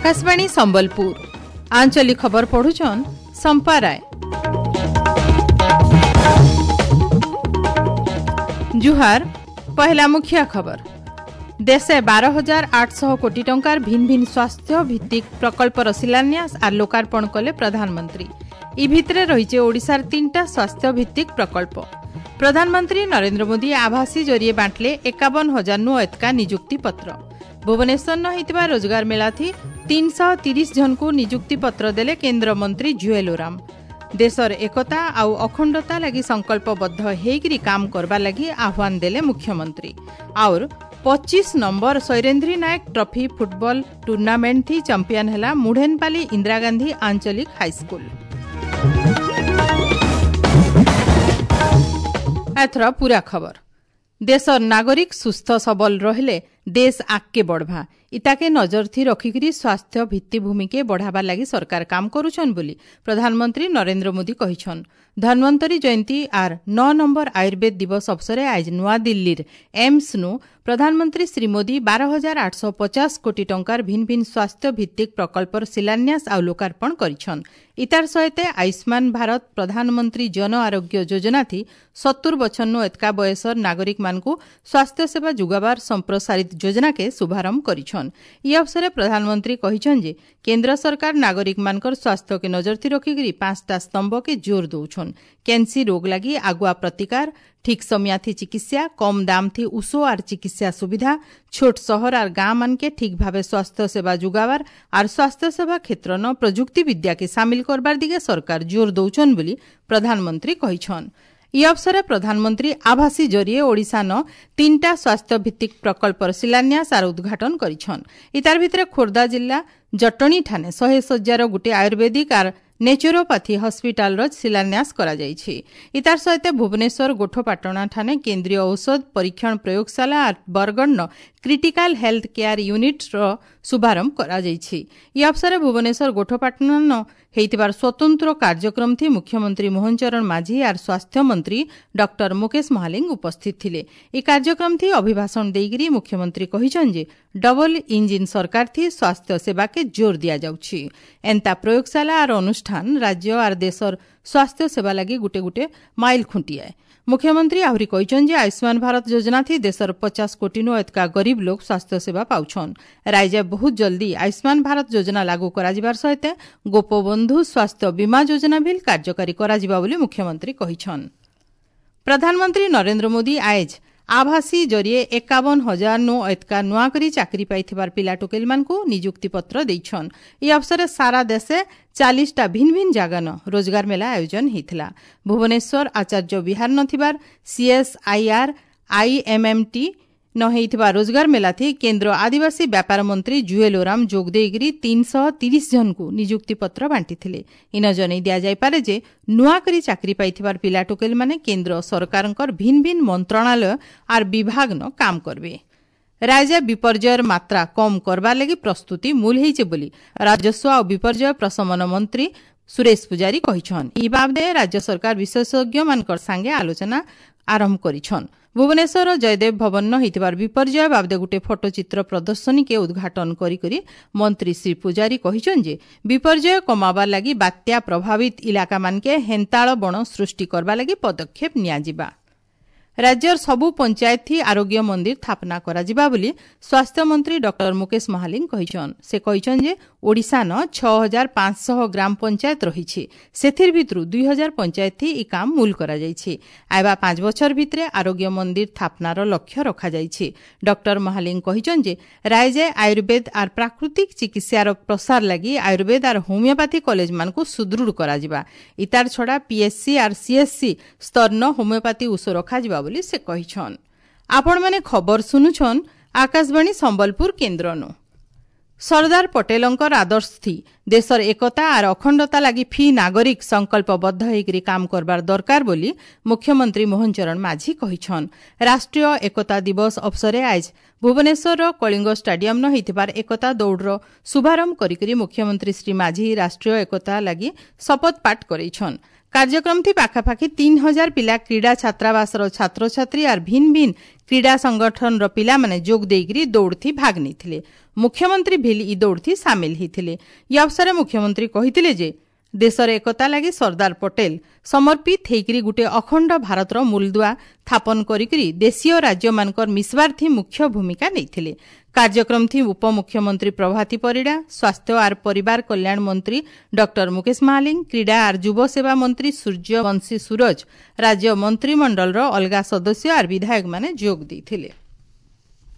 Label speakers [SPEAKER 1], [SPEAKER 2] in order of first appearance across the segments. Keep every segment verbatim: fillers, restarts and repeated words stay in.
[SPEAKER 1] ଆକାଶବାଣୀ ସମ୍ବଲପୁର ଆଞ୍ଚଳିକ ଖବର ପଢୁଛନ୍ ସମ୍ପା ରାୟ। ଜୁହାର, ପହିଲା ମୁଖିଆ ଖବର। ଦେଶେ ବାର ହଜାର ଆଠଶହ କୋଟି ଟଙ୍କାର ଭିନ୍ ଭିନ୍ ସ୍ୱାସ୍ଥ୍ୟ ଭିତ୍ତିକ ପ୍ରକଳ୍ପର ଶିଳାନ୍ୟାସ ଆର୍ ଲୋକାର୍ପଣ କଲେ ପ୍ରଧାନମନ୍ତ୍ରୀ। ଇ ଭିତରେ ରହିଛି ଓଡ଼ିଶାର ତିନିଟା ସ୍ୱାସ୍ଥ୍ୟ ଭିତ୍ତିକ ପ୍ରକଳ୍ପ। ପ୍ରଧାନମନ୍ତ୍ରୀ ନରେନ୍ଦ୍ର ମୋଦି ଆଭାସୀ ଜରିଏ ବାଣ୍ଟିଲେ ଏକାବନ ହଜାର ନୁ ଏତକା ନିଯୁକ୍ତି ପତ୍ର। ଭୁବନେଶ୍ୱର ହେଇଥିବା ରୋଜଗାର ମେଳାଥି ତିନିଶହ ତିରିଶ ଜଣଙ୍କୁ ନିଯୁକ୍ତି ପତ୍ର ଦେଲେ କେନ୍ଦ୍ରମନ୍ତ୍ରୀ ଜୁଏଲ ଓରାମ। ଦେଶର ଏକତା ଆଉ ଅଖଣ୍ଡତା ଲାଗି ସଂକଳ୍ପବଦ୍ଧ ହେଇକରି କାମ କରବା ଲାଗି ଆହ୍ୱାନ ଦେଲେ ମୁଖ୍ୟମନ୍ତ୍ରୀ। ଆଉର ପଚିଶ number Sairendhri Nayak trophy football tournament ଥି ଚାମ୍ପିୟନ ହେଲା ମୁଢେନପାଲି ଇନ୍ଦିରା ଗାନ୍ଧୀ ଆଞ୍ଚଳିକ ହାଇସ୍କୁଲ। ଏଥର ପୁରା ଖବର। ଦେଶର ନାଗରିକ ସୁସ୍ଥ ସବଲ ରହିଲେ ଦେଶ ଆଗକେ ବଢ଼ବା। ଇତାକେ ନଜର ଥି ରଖିକରି ସ୍ୱାସ୍ଥ୍ୟ ଭିତ୍ତିଭୂମିକେ ବଢ଼ାବାର ଲାଗି ସରକାର କାମ କରୁଛନ୍ ବୋଲି ପ୍ରଧାନମନ୍ତ୍ରୀ ନରେନ୍ଦ୍ର ମୋଦି କହିଛନ୍। ଧନ୍ୱନ୍ତରୀ ଜୟନ୍ତୀ ଆର୍ ନଅ ନମ୍ବର ଆୟୁର୍ବେଦ ଦିବସ ଅବସରେ ଆଜ ନୂଆଦିଲ୍ଲୀର ଏମ୍ସନୁ ପ୍ରଧାନମନ୍ତ୍ରୀ ଶ୍ରୀ ମୋଦି ବାର ହଜାର ଆଠଶହ ପଚାଶ କୋଟି ଟଙ୍କାର ଭିନ୍ ଭିନ୍ ସ୍ୱାସ୍ଥ୍ୟ ଭିତ୍ତିକ ପ୍ରକଳ୍ପର ଶିଳାନ୍ୟାସ ଆଉ ଲୋକାର୍ପଣ କରିଛନ୍। ଇତାର ସହିତ ଆୟୁଷ୍ମାନ ଭାରତ ପ୍ରଧାନମନ୍ତ୍ରୀ ଜନ ଆରୋଗ୍ୟ ଯୋଜନାଥି ସତୁର ବଛରନୁ ଏତକା ବୟସର ନାଗରିକମାନଙ୍କୁ ସ୍ୱାସ୍ଥ୍ୟ ସେବା ଯୋଗାବାର ସମ୍ପ୍ରସାରିତ ଯୋଜନାକେ ଶୁଭାରମ୍ଭ କରିଛନ୍। ଇ ଅବସରେ ପ୍ରଧାନମନ୍ତ୍ରୀ କହିଛନ୍ ଯେ କେନ୍ଦ୍ର ସରକାର ନାଗରିକମାନଙ୍କର ସ୍ୱାସ୍ଥ୍ୟକେ ନଜରଥି ରଖିକରି ପାଞ୍ଚଟା ସ୍ତମ୍ଭକେ ଜୋର ଦଉଛନ୍। କ୍ୟାନ୍ସି ରୋଗ ଲାଗି ଆଗୁଆ ପ୍ରତିକାର, ଠିକ୍ ସମିଆଥି ଚିକିତ୍ସା, କମ୍ ଦାମଥି ଉଷୋ ଆର୍ ଚିକିତ୍ସା ସୁବିଧା, ଛୋଟ ସହର ଆର୍ ଗାଁ ମାନକେ ଠିକ୍ ଭାବେ ସ୍ୱାସ୍ଥ୍ୟ ସେବା ଯୋଗାବାର ଆର୍ ସ୍ୱାସ୍ଥ୍ୟ ସେବା କ୍ଷେତ୍ରନ ପ୍ରଯୁକ୍ତି ବିଦ୍ୟାକେ ସାମିଲ କରବାର ଦିଗେ ସରକାର ଜୋର ଦଉଛନ୍ ବୋଲି ପ୍ରଧାନମନ୍ତ୍ରୀ କହିଛନ୍। ଇ ଅବସରେ ପ୍ରଧାନମନ୍ତ୍ରୀ ଆଭାସୀ ଜରିଏ ଓଡ଼ିଶାନ ତିନିଟା ସ୍ୱାସ୍ଥ୍ୟ ଭିତ୍ତିକ ପ୍ରକଳ୍ପର ଶିଳାନ୍ୟାସ ଆର୍ ଉଦ୍ଘାଟନ କରିଛନ୍। ଇତାର ଭିତରେ ଖୋର୍ଦ୍ଧା ଜିଲ୍ଲା ଜଟଣୀ ଠାନେ ଶହେ ଶଯ୍ୟାର ଗୋଟିଏ ଆୟୁର୍ବେଦିକ ଆର୍ ନେଚୁରୋପାଥି ହସ୍ପିଟାଲର ଶିଳାନ୍ୟାସ କରାଯାଇଛି। ଇତାର ସହିତ ଭୁବନେଶ୍ୱର ଗୋଠପାଟଣା ଠାନେ କେନ୍ଦ୍ରୀୟ ଔଷଧ ପରୀକ୍ଷଣ ପ୍ରୟୋଗଶାଳା ଆର୍ ବରଗଡ଼ନ କ୍ରିଟିକାଲ ହେଲ୍ଥ କେୟାର ୟୁନିଟ୍ର ଶୁଭାରମ୍ଭ କରାଯାଇଛି। ଇ ଅବସରେ ଭୁବନେଶ୍ୱର ଗୋଠପାଟଣାନ ହେଇଥିବାର ସ୍ୱତନ୍ତ୍ର କାର୍ଯ୍ୟକ୍ରମ ଥି ମୁଖ୍ୟମନ୍ତ୍ରୀ ମୋହନ ଚରଣ ମାଝୀ ଆର୍ ସ୍ୱାସ୍ଥ୍ୟମନ୍ତ୍ରୀ ଡକ୍ଟର ମୁକେଶ ମହାଲିଙ୍ଗ ଉପସ୍ଥିତ ଥିଲେ। ଏହି କାର୍ଯ୍ୟକ୍ରମ ଥି ଅଭିଭାଷଣ ଦେଇକରି ମୁଖ୍ୟମନ୍ତ୍ରୀ କହିଛନ୍ ଯେ ଡବଲ ଇଞ୍ଜିନ୍ ସରକାର ଥି ସ୍ୱାସ୍ଥ୍ୟ ସେବାକେ ଜୋର ଦିଆଯାଉଛି। ଏନ୍ତା ପ୍ରୟୋଗଶାଳା ଆର୍ ଅନୁଷ୍ଠାନ ରାଜ୍ୟ ଆର୍ ଦେଶର ସ୍ୱାସ୍ଥ୍ୟ ସେବା ଲାଗି ଗୁଟେ ଗୁଟେ ମାଇଲ ଖୁଣ୍ଟିଆଏ। ମୁଖ୍ୟମନ୍ତ୍ରୀ ଆହୁରି କହିଛନ୍ ଯେ ଆୟୁଷ୍ମାନ ଭାରତ ଯୋଜନା ଥି ଦେଶର ପଚାଶ କୋଟିନୁ ଏତକା ଗରିବ ଲୋକ ସ୍ୱାସ୍ଥ୍ୟ ସେବା ପାଉଛନ୍। ରାଜ୍ୟ ବହୁତ ଜଲ୍ଦି ଆୟୁଷ୍ମାନ ଭାରତ ଯୋଜନା ଲାଗୁ କରାଯିବାର ସହିତ ଗୋପବନ୍ଧୁ ସ୍ୱାସ୍ଥ୍ୟ ବୀମା ଯୋଜନା ବିଲ୍ କାର୍ଯ୍ୟକାରୀ କରାଯିବା ବୋଲି ମୁଖ୍ୟମନ୍ତ୍ରୀ କହିଛନ୍। ପ୍ରଧାନମନ୍ତ୍ରୀ ନରେନ୍ଦ୍ର ମୋଦି ଆଏଜ ଆଭାସୀ ଜରିଏ ଏକାବନ ହଜାର ନୁ ଏତକା ନୂଆ କରି ଚାକିରି ପାଇଥିବାର ପିଲା ଟୋକେଲମାନଙ୍କୁ ନିଯୁକ୍ତି ପତ୍ର ଦେଇଛନ୍। ଏହି ଅବସରେ ସାରା ଦେଶେ ଚାଳିଶଟା ଭିନ୍ ଭିନ୍ ଜାଗାନ ରୋଜଗାର ମେଳା ଆୟୋଜନ ହେଇଥିଲା। ଭୁବନେଶ୍ୱର ଆଚାର୍ଯ୍ୟ ବିହାର ନ ଥିବାର ସିଏସ୍ଆଇଆର୍ ଆଇଏମ୍ଏମ୍ଟି ନ ହେଇଥିବା ରୋଜଗାର ମେଳାଥି କେନ୍ଦ୍ର ଆଦିବାସୀ ବ୍ୟାପାର ମନ୍ତ୍ରୀ ଜୁଏଲ ଓରାମ ଯୋଗ ଦେଇକରି ତିନିଶହ ତିରିଶ ଜଣଙ୍କୁ ନିଯୁକ୍ତି ପତ୍ର ବାଣ୍ଟିଥିଲେ। ଇନ ଜଣାଇ ଦିଆଯାଇପାରେ ଯେ ନୂଆ କରି ଚାକିରି ପାଇଥିବାର ପିଲା ଟୋକେଲମାନେ କେନ୍ଦ୍ର ସରକାରଙ୍କର ଭିନ୍ ଭିନ୍ ମନ୍ତ୍ରଣାଳୟ ଆର୍ ବିଭାଗନ କାମ କରିବେ। ରାଜ୍ୟ ବିପର୍ଯ୍ୟୟର ମାତ୍ରା କମ୍ କରବାର ଲାଗି ପ୍ରସ୍ତୁତି ମୂଲ ହେଇছে ବୋଲି ରାଜସ୍ୱ ଆଉ ବିପର୍ଯ୍ୟୟ ପ୍ରଶମନ ମନ୍ତ୍ରୀ ସୁରେଶ ପୂଜାରୀ କହିଛନ୍। ଇ ବାବଦେ ରାଜ୍ୟ ସରକାର ବିଶେଷଜ୍ଞମାନଙ୍କର ସାଙ୍ଗେ ଆଲୋଚନା ଆରମ୍ଭ କରିଛନ୍। ଭୁବନେଶ୍ୱର ଜୟଦେବ ଭବନ ହେଇଥିବାର ବିପର୍ଯ୍ୟୟ ବାବଦେ ଗୋଟିଏ ଫଟୋଚିତ୍ର ପ୍ରଦର୍ଶନୀକେ ଉଦ୍ଘାଟନ କରିକରି ମନ୍ତ୍ରୀ ଶ୍ରୀ ପୂଜାରୀ କହିଛନ୍ ଯେ ବିପର୍ଯ୍ୟୟ କମାବାର ଲାଗି ବାତ୍ୟା ପ୍ରଭାବିତ ଇଲାକାମାନକେ ହେନ୍ତାଳ ବଣ ସୃଷ୍ଟି କରବା ଲାଗି ପଦକ୍ଷେପ ନିଆଯିବା। ରାଜ୍ୟର ସବୁ ପଞ୍ଚାୟତଥି ଆରୋଗ୍ୟ ମନ୍ଦିର ସ୍ଥାପନା କରାଯିବା ବୋଲି ସ୍ୱାସ୍ଥ୍ୟମନ୍ତ୍ରୀ ଡକ୍ଟର ମୁକେଶ ମହାଲିଙ୍ଗ କହିଛନ୍। ସେ କହିଛନ୍ ଯେ ଓଡ଼ିଶାନ ଛଅ ହଜାର ପାଞ୍ଚଶହ ଗ୍ରାମ ପଞ୍ଚାୟତ ରହିଛି। ସେଥିର ଭିତରୁ ଦୁଇ ହଜାର ପଞ୍ଚାୟତଥି ଇ କାମ ମୂଲ କରାଯାଇଛି। ଆଇବା ପାଞ୍ଚ ବଛର ଭିତରେ ଆରୋଗ୍ୟ ମନ୍ଦିର ସ୍ଥାପନାର ଲକ୍ଷ୍ୟ ରଖାଯାଇଛି। ଡକ୍ଟର ମହାଲିଙ୍ଗ କହିଛନ୍ ଯେ ରାଜ୍ୟ ଆୟୁର୍ବେଦ ଆର୍ ପ୍ରାକୃତିକ ଚିକିତ୍ସାର ପ୍ରସାର ଲାଗି ଆୟୁର୍ବେଦ ଆର୍ ହୋମିଓପାଥି କଲେଜମାନଙ୍କୁ ସୁଦୃଢ଼ କରାଯିବା। ଇତାର ଛଡ଼ା ପିଏସ୍ସି ଆର୍ ସିଏସ୍ସି ସ୍ତରନ ହୋମିଓପାଥି ଉଷ ରଖାଯିବା ବୋଲି ସେ କହିଛନ୍। ଆପଣମାନେ ଖବର ଶୁଣୁଛନ୍ ଆକାଶବାଣୀ ସମ୍ବଲପୁର କେନ୍ଦ୍ରନୁ। ସର୍ଦ୍ଦାର ପଟେଲଙ୍କର ଆଦର୍ଶ ଥି ଦେଶର ଏକତା ଆର୍ ଅଖଣ୍ଡତା ଲାଗି ଫି ନାଗରିକ ସଂକଳ୍ପବଦ୍ଧ ହେଇକରି କାମ କରବାର ଦରକାର ବୋଲି ମୁଖ୍ୟମନ୍ତ୍ରୀ ମୋହନ ଚରଣ ମାଝୀ କହିଛନ୍। ରାଷ୍ଟ୍ରୀୟ ଏକତା ଦିବସ ଅବସରେ ଆଜ ଭୁବନେଶ୍ୱରର କଳିଙ୍ଗ ଷ୍ଟାଡିୟମ୍ନ ହେଇଥିବାର ଏକତା ଦୌଡ଼ର ଶୁଭାରମ୍ଭ କରିକରି ମୁଖ୍ୟମନ୍ତ୍ରୀ ଶ୍ରୀ ମାଝୀ ରାଷ୍ଟ୍ରୀୟ ଏକତା ଲାଗି ଶପଥ ପାଠ କରେଇଛନ୍। କାର୍ଯ୍ୟକ୍ରମ ଥି ପାଖାପାଖି ତିନ୍ ହଜାର ପିଲା କ୍ରୀଡ଼ା ଛାତ୍ରାବାସର ଛାତ୍ରଛାତ୍ରୀ ଆର୍ ଭିନ୍ ଭିନ୍ କ୍ରୀଡ଼ା ସଂଗଠନର ପିଲାମାନେ ଯୋଗ ଦେଇକରି ଦୌଡ଼ଥି ଭାଗ ନେଇଥିଲେ। ମୁଖ୍ୟମନ୍ତ୍ରୀ ଭିଲ୍ ଇ ଦୌଡ଼ଥି ସାମିଲ ହେଇଥିଲେ। ଇ ଅବସରରେ ମୁଖ୍ୟମନ୍ତ୍ରୀ କହିଥିଲେ ଯେ ଦେଶର ଏକତା ଲାଗି ସର୍ଦ୍ଦାର ପଟେଲ ସମର୍ପିତ ହେଇକରି ଗୁଟେ ଅଖଣ୍ଡ ଭାରତର ମୂଲଦୁଆ ସ୍ଥାପନ କରିକରି ଦେଶୀୟ ରାଜ୍ୟମାନଙ୍କର ମିଶବାର୍ଥି ମୁଖ୍ୟ ଭୂମିକା ନେଇଥିଲେ। କାର୍ଯ୍ୟକ୍ରମ ଥି ଉପମୁଖ୍ୟମନ୍ତ୍ରୀ ପ୍ରଭାତୀ ପରିଡ଼ା, ସ୍ୱାସ୍ଥ୍ୟ ଆର୍ ପରିବାର କଲ୍ୟାଣ ମନ୍ତ୍ରୀ ଡକ୍ଟର ମୁକେଶ ମହାଲିଙ୍ଗ, କ୍ରୀଡ଼ା ଆର୍ ଯୁବ ସେବା ମନ୍ତ୍ରୀ ସୂର୍ଯ୍ୟବଂଶୀ ସୂରଜ, ରାଜ୍ୟ ମନ୍ତ୍ରିମଣ୍ଡଳର ଅଲଗା ସଦସ୍ୟ ଆର୍ ବିଧାୟକମାନେ ଯୋଗ ଦେଇଥିଲେ।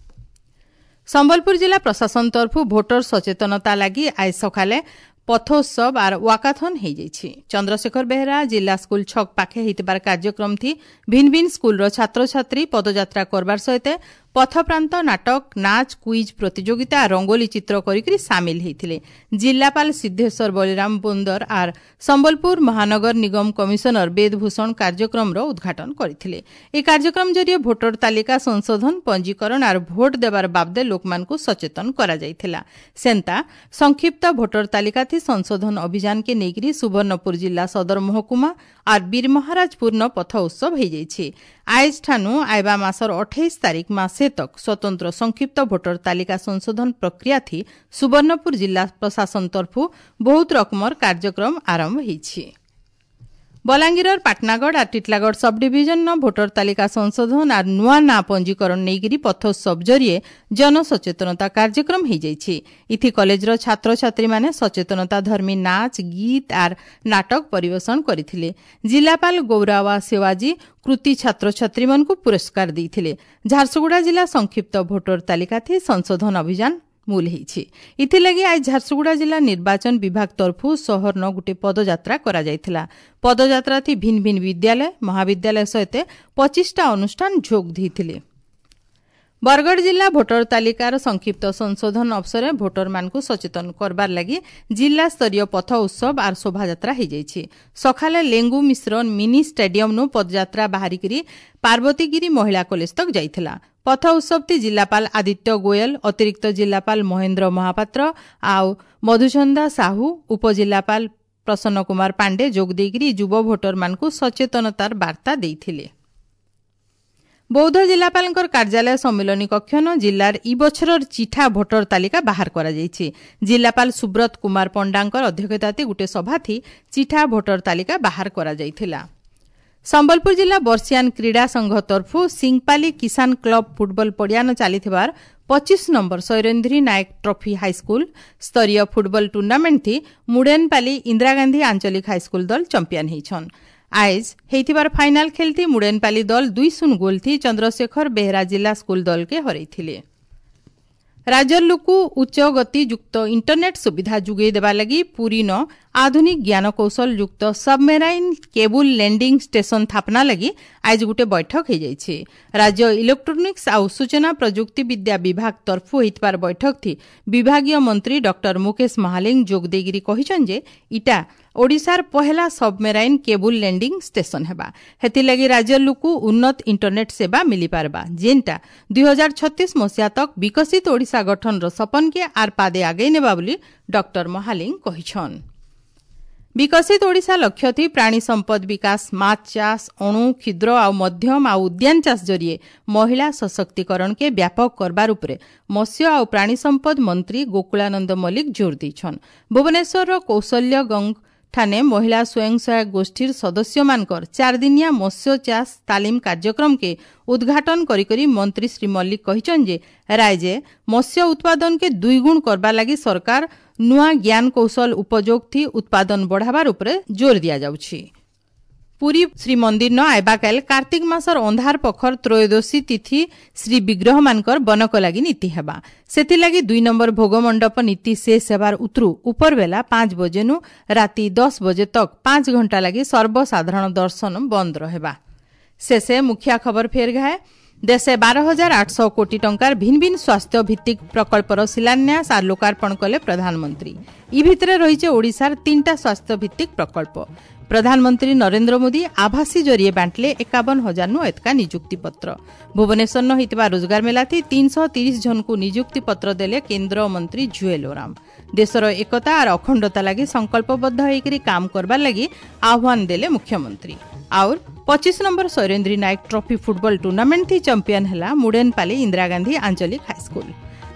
[SPEAKER 1] ସମ୍ବଲପୁର ଜିଲ୍ଲା ପ୍ରଶାସନ ତରଫୁ ଭୋଟର ସଚେତନତା ଲାଗି ଆଜ ସକାଳେ ପଥୋତ୍ସବ ଆର୍ ୱାକାଥନ୍ ହେଇଯାଇଛି। ଚନ୍ଦ୍ରଶେଖର ବେହେରା ଜିଲ୍ଲା ସ୍କୁଲ ଛକ ପାଖେ ହେଇଥିବାର କାର୍ଯ୍ୟକ୍ରମ ଥି ଭିନ୍ ଭିନ୍ ସ୍କୁଲର ଛାତ୍ରଛାତ୍ରୀ ପଦଯାତ୍ରା କରବାର ସହିତ ପଥପ୍ରାନ୍ତ ନାଟକ, ନାଚ, କୁଇଜ୍ ପ୍ରତିଯୋଗିତା, ରଙ୍ଗୋଲି ଚିତ୍ର କରିକରି ସାମିଲ ହେଇଥିଲେ। ଜିଲ୍ଲାପାଳ ସିଦ୍ଧେଶ୍ୱର ବଳିରାମ ବୋନ୍ଦର ଆର୍ ସମ୍ବଲପୁର ମହାନଗର ନିଗମ କମିଶନର ବେଦଭୂଷଣ କାର୍ଯ୍ୟକ୍ରମର ଉଦ୍ଘାଟନ କରିଥିଲେ। ଏହି କାର୍ଯ୍ୟକ୍ରମ ଜରିଏ ଭୋଟର ତାଲିକା ସଂଶୋଧନ, ପଞ୍ଜୀକରଣ ଆର୍ ଭୋଟ ଦେବାର ବାବଦେ ଲୋକମାନଙ୍କୁ ସଚେତନ କରାଯାଇଥିଲା। ସେନ୍ତା ସଂକ୍ଷିପ୍ତ ଭୋଟର ତାଲିକା ଥି ସଂଶୋଧନ ଅଭିଯାନକେ ନେଇକରି ସୁବର୍ଣ୍ଣପୁର ଜିଲ୍ଲା ସଦର ମହକୁମା ଆର୍ ବୀରମହାରାଜପୁରନ ପଥ ଉତ୍ସବ ହେଇଯାଇଛି। ଆଏଜ ଠାନୁ ଆଇବା ମାସର ଅଠେଇଶ ତାରିଖ ମାସେ ତକ ସ୍ୱତନ୍ତ୍ର ସଂକ୍ଷିପ୍ତ ଭୋଟର ତାଲିକା ସଂଶୋଧନ ପ୍ରକ୍ରିୟା ଥି ସୁବର୍ଣ୍ଣପୁର ଜିଲ୍ଲା ପ୍ରଶାସନ ତରଫୁ ବହୁତ ରକମର କାର୍ଯ୍ୟକ୍ରମ ଆରମ୍ଭ ହେଇଛି। ବଲାଙ୍ଗୀରର ପାଟନାଗଡ଼ ଆର୍ ଟିଟଲାଗଡ଼ ସବ୍ ଡିଭିଜନର ଭୋଟର ତାଲିକା ସଂଶୋଧନ ଆର୍ ନୂଆ ନାଁ ପଞ୍ଜୀକରଣ ନେଇକରି ପଥୋତ୍ସବ ଜରିଏ ଜନସଚେତନତା କାର୍ଯ୍ୟକ୍ରମ ହେଇଯାଇଛି। ଇଥି କଲେଜର ଛାତ୍ରଛାତ୍ରୀମାନେ ସଚେତନତା ଧର୍ମୀ ନାଚ, ଗୀତ ଆର୍ ନାଟକ ପରିବେଷଣ କରିଥିଲେ। ଜିଲ୍ଲାପାଳ ଗୌରାୱା ସେୱାଜୀ କୃତି ଛାତ୍ରଛାତ୍ରୀମାନଙ୍କୁ ପୁରସ୍କାର ଦେଇଥିଲେ। ଝାରସୁଗୁଡ଼ା ଜିଲ୍ଲା ସଂକ୍ଷିପ୍ତ ଭୋଟର ତାଲିକା ଥି ସଂଶୋଧନ ଅଭିଯାନ ମୂଲ ହେଇଛି। ଏଥିଲାଗି ଆজ ଝାରସୁଗୁଡ଼ା ଜିଲ୍ଲା ନିର୍ବାଚନ ବିଭାଗ ତରଫୁ ସହରନ ଗୋଟିଏ ପଦଯାତ୍ରା କରାଯାଇଥିଲା। ପଦଯାତ୍ରା ଥି ଭିନ୍ ଭିନ୍ ବିଦ୍ୟାଳୟ, ମହାବିଦ୍ୟାଳୟ ସହିତ ପଚିଶଟା ଅନୁଷ୍ଠାନ ଯୋଗ ଦେଇଥିଲେ। ବରଗଡ଼ ଜିଲ୍ଲା ଭୋଟର ତାଲିକାର ସଂକ୍ଷିପ୍ତ ସଂଶୋଧନ ଅବସରରେ ଭୋଟରମାନଙ୍କୁ ସଚେତନ କରବାର ଲାଗି ଜିଲ୍ଲା ସ୍ତରୀୟ ପଥ ଉତ୍ସବ ଆର୍ ଶୋଭାଯାତ୍ରା ହେଇଯାଇଛି। ସକାଳେ ଲେଙ୍ଗୁ ମିଶ୍ର ମିନି ଷ୍ଟାଡିୟମନୁ ପଦଯାତ୍ରା ବାହାରିକରି ପାର୍ବତୀଗିରି ମହିଳା କଲେଜ ତକ ଯାଇଥିଲା। ପଥ ଉତ୍ସବଟି ଜିଲ୍ଲାପାଳ ଆଦିତ୍ୟ ଗୋୟଲ, ଅତିରିକ୍ତ ଜିଲ୍ଲାପାଳ ମହେନ୍ଦ୍ର ମହାପାତ୍ର ଆଉ ମଧୁଚନ୍ଦା ସାହୁ, ଉପଜିଲ୍ଲାପାଳ ପ୍ରସନ୍ନ କୁମାର ପାଣ୍ଡେ ଯୋଗ ଦେଇକରି ଯୁବ ଭୋଟରମାନଙ୍କୁ ସଚେତନତାର ବାର୍ତ୍ତା ଦେଇଥିଲେ। ବୌଦ୍ଧ ଜିଲ୍ଲାପାଳଙ୍କର କାର୍ଯ୍ୟାଳୟ ସମ୍ମିଳନୀ କକ୍ଷନ ଜିଲ୍ଲାର ଇ ବଛରର ଚିଠା ଭୋଟର ତାଲିକା ବାହାର କରାଯାଇଛି। ଜିଲ୍ଲାପାଳ ସୁବ୍ରତ କୁମାର ପଣ୍ଡାଙ୍କର ଅଧ୍ୟକ୍ଷତାରେ ଗୋଟିଏ ସଭାଥି ଚିଠା ଭୋଟର ତାଲିକା ବାହାର କରାଯାଇଥିଲା। ସମ୍ବଲପୁର ଜିଲ୍ଲା ବର୍ଷିଆନ କ୍ରୀଡ଼ା ସଂଘ ତରଫୁ ସିଂପାଲି କିଷାନ କ୍ଲବ ଫୁଟବଲ ପଡ଼ିଆନ ଚାଲିଥିବାର ପଚିଶ number Sairendri Nayak trophy high school ସ୍ତରୀୟ ଫୁଟବଲ ଟୁର୍ଣ୍ଣାମେଣ୍ଟ ଥି ମୁଡେନପାଲି ଇନ୍ଦିରା ଗାନ୍ଧୀ ଆଞ୍ଚଳିକ ହାଇସ୍କୁଲ ଦଳ ଚମ୍ପିଆନ ହେଇଛନ୍। ଆଏଜ ହେଇଥିବାର ଫାଇନାଲ ଖେଲଥି ମୁଡେନପାଲି ଦଳ ଦୁଇ ଶୂନ ଗୋଲ ଥି ଚନ୍ଦ୍ରଶେଖର ବେହେରା ଜିଲ୍ଲା ସ୍କୁଲ ଦଳକେ ହରେଇଥିଲେ। ରାଜ୍ୟର ଲୋକ ଉଚ୍ଚ ଗତି ଯୁକ୍ତ ଇଣ୍ଟରନେଟ୍ ସୁବିଧା ଯୋଗାଇ ଦେବା ଲାଗି ପୁରୀନ ଆଧୁନିକ ଜ୍ଞାନକୌଶଳ ଯୁକ୍ତ ସବମେରାଇନ୍ କେବୁଲ ଲ୍ୟାଣ୍ଡିଂ ଷ୍ଟେସନ ସ୍ଥାପନା ଲାଗି ଆଜି ଗୋଟିଏ ବୈଠକ ହୋଇଯାଇଛି। ରାଜ୍ୟ ଇଲେକ୍ଟ୍ରୋନିକ୍ସ ଆଉ ସୂଚନା ପ୍ରଯୁକ୍ତି ବିଦ୍ୟା ବିଭାଗ ତରଫୁ ହୋଇଥିବାର ବୈଠକ ଥି ବିଭାଗୀୟ ମନ୍ତ୍ରୀ ଡକ୍ଟର ମୁକେଶ ମହାଲିଙ୍ଗ ଯୋଗ ଦେଇକରି କହିଛନ୍ତି ଯେ ଇଟା ଓଡ଼ିଶାର ପହେଲା ସବମେରାଇନ୍ କେବୁଲ ଲ୍ୟାଣ୍ଡିଂ ଷ୍ଟେସନ ହେବା। ହେଥିଲାଗି ରାଜ୍ୟର ଲୋକ ଉନ୍ନତ ଇଣ୍ଟରନେଟ୍ ସେବା ମିଳିପାରବା, ଯେନ୍ଟା ଦୁଇ ହଜାର ଛତିଶ ମସିହା ତକ୍ ବିକଶିତ ଓଡ଼ିଶା ଗଠନର ସପନକେ ଆର୍ ପାଦେ ଆଗେଇ ନେବା ବୋଲି ଡକ୍ଟର ମହାଲିଙ୍ଗ କହିଛନ୍। ବିକଶିତ ଓଡ଼ିଶା ଲକ୍ଷ୍ୟ ଥି ପ୍ରାଣୀ ସମ୍ପଦ ବିକାଶ, ମାଛ ଚାଷ, ଅଣୁ କ୍ଷୁଦ୍ର ଆଉ ମଧ୍ୟମ ଆଉ ଉଦ୍ୟାନ ଚାଷ ଜରିଏ ମହିଳା ସଶକ୍ତିକରଣକେ ବ୍ୟାପକ କରବାର ଉପରେ ମତ୍ସ୍ୟ ଆଉ ପ୍ରାଣୀ ସମ୍ପଦ ମନ୍ତ୍ରୀ ଗୋକୁଳାନନ୍ଦ ମଲ୍ଲିକ ଜୋର ଦେଇଛନ୍। ଭୁବନେଶ୍ୱରର କୌଶଲ୍ୟ ଗଙ୍ଗ ଠାନେ ମହିଳା ସ୍ୱୟଂ ସହାୟକ ଗୋଷ୍ଠୀର ସଦସ୍ୟମାନଙ୍କର ଚାରିଦିନିଆ ମତ୍ସ୍ୟ ଚାଷ ତାଲିମ କାର୍ଯ୍ୟକ୍ରମକେ ଉଦ୍ଘାଟନ କରିକରି ମନ୍ତ୍ରୀ ଶ୍ରୀ ମଲ୍ଲିକ କହିଛନ୍ତି ଯେ ରାଜ୍ୟ ମତ୍ସ୍ୟ ଉତ୍ପାଦନକେ ଦୁଇଗୁଣ କରବା ଲାଗି ସରକାର ନୂଆ ଜ୍ଞାନ କୌଶଳ ଉପଯୋଗ ଥି ଉତ୍ପାଦନ ବଢ଼ାବାର ଉପରେ ଜୋର ଦିଆଯାଉଛି। ପୁରୀ ଶ୍ରୀମନ୍ଦିର ଆଇବାକାଲ କାର୍ତ୍ତିକ ମାସର ଅନ୍ଧାର ପଖର ତ୍ରୟୋଦଶୀ ତିଥି ଶ୍ରୀ ବିଗ୍ରହମାନଙ୍କର ବନକ ଲାଗି ନୀତି ହେବା। ସେଥିଲାଗି ଦୁଇ ନମ୍ବର ଭୋଗ ମଣ୍ଡପ ନୀତି ଶେଷ ହେବାର ଉତରୁ ଉପରବେଲା ପାଞ୍ଚ ବଜେନୁ ରାତି ଦଶ ବଜେ ତକ ପାଞ୍ଚ ଘଣ୍ଟା ଲାଗି ସର୍ବସାଧାରଣ ଦର୍ଶନ ବନ୍ଦ ରହିବା। ଶେଷେ ମୁଖିଆ ଖବର ଫେର ଘାଏ। ଦେଶେ ବାର ହଜାର ଆଠଶହ କୋଟି ଟଙ୍କାର ଭିନ୍ ଭିନ୍ ସ୍ୱାସ୍ଥ୍ୟ ଭିତ୍ତିକ ପ୍ରକଳ୍ପର ଶିଳାନ୍ୟାସ ଆର୍ ଲୋକାର୍ପଣ କଲେ ପ୍ରଧାନମନ୍ତ୍ରୀ। ଇ ଭିତରେ ରହିছে ଓଡ଼ିଶାର ତିନିଟା ସ୍ୱାସ୍ଥ୍ୟ ଭିତ୍ତିକ ପ୍ରକଳ୍ପ। ପ୍ରଧାନମନ୍ତ୍ରୀ ନରେନ୍ଦ୍ର ମୋଦି ଆଭାସୀ ଜରିଏ ବାଣ୍ଟିଲେ ଏକାବନ ହଜାରନୁ ଏତକା ନିଯୁକ୍ତି ପତ୍ର। ଭୁବନେଶ୍ୱରନ ହୋଇଥିବା ରୋଜଗାର ମେଲାଥି ତିନିଶହ ତିରିଶ ଜଣଙ୍କୁ ନିଯୁକ୍ତି ପତ୍ର ଦେଲେ କେନ୍ଦ୍ର ମନ୍ତ୍ରୀ ଜୁଏଲ ଓରାମ। ଦେଶର ଏକତା ଆର୍ ଅଖଣ୍ଡତା ଲାଗି ସଂକଳ୍ପବଦ୍ଧ ହୋଇକରି କାମ କରବାର ଲାଗି ଆହ୍ୱାନ ଦେଲେ ମୁଖ୍ୟମନ୍ତ୍ରୀ। ଆଉର୍ ପଚିଶ number Sairendri Nayak trophy football tournament ଥି ଚମ୍ପିୟନ ହେଲା ମୁଡେନପାଲି ଇନ୍ଦିରା ଗାନ୍ଧୀ ଆଞ୍ଚଳିକ ହାଇସ୍କୁଲ।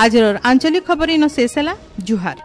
[SPEAKER 1] ଆଜିର ଆଞ୍ଚଳିକ ଖବର ଇନ ଶେଷ ହେଲା। ଜୁହାର।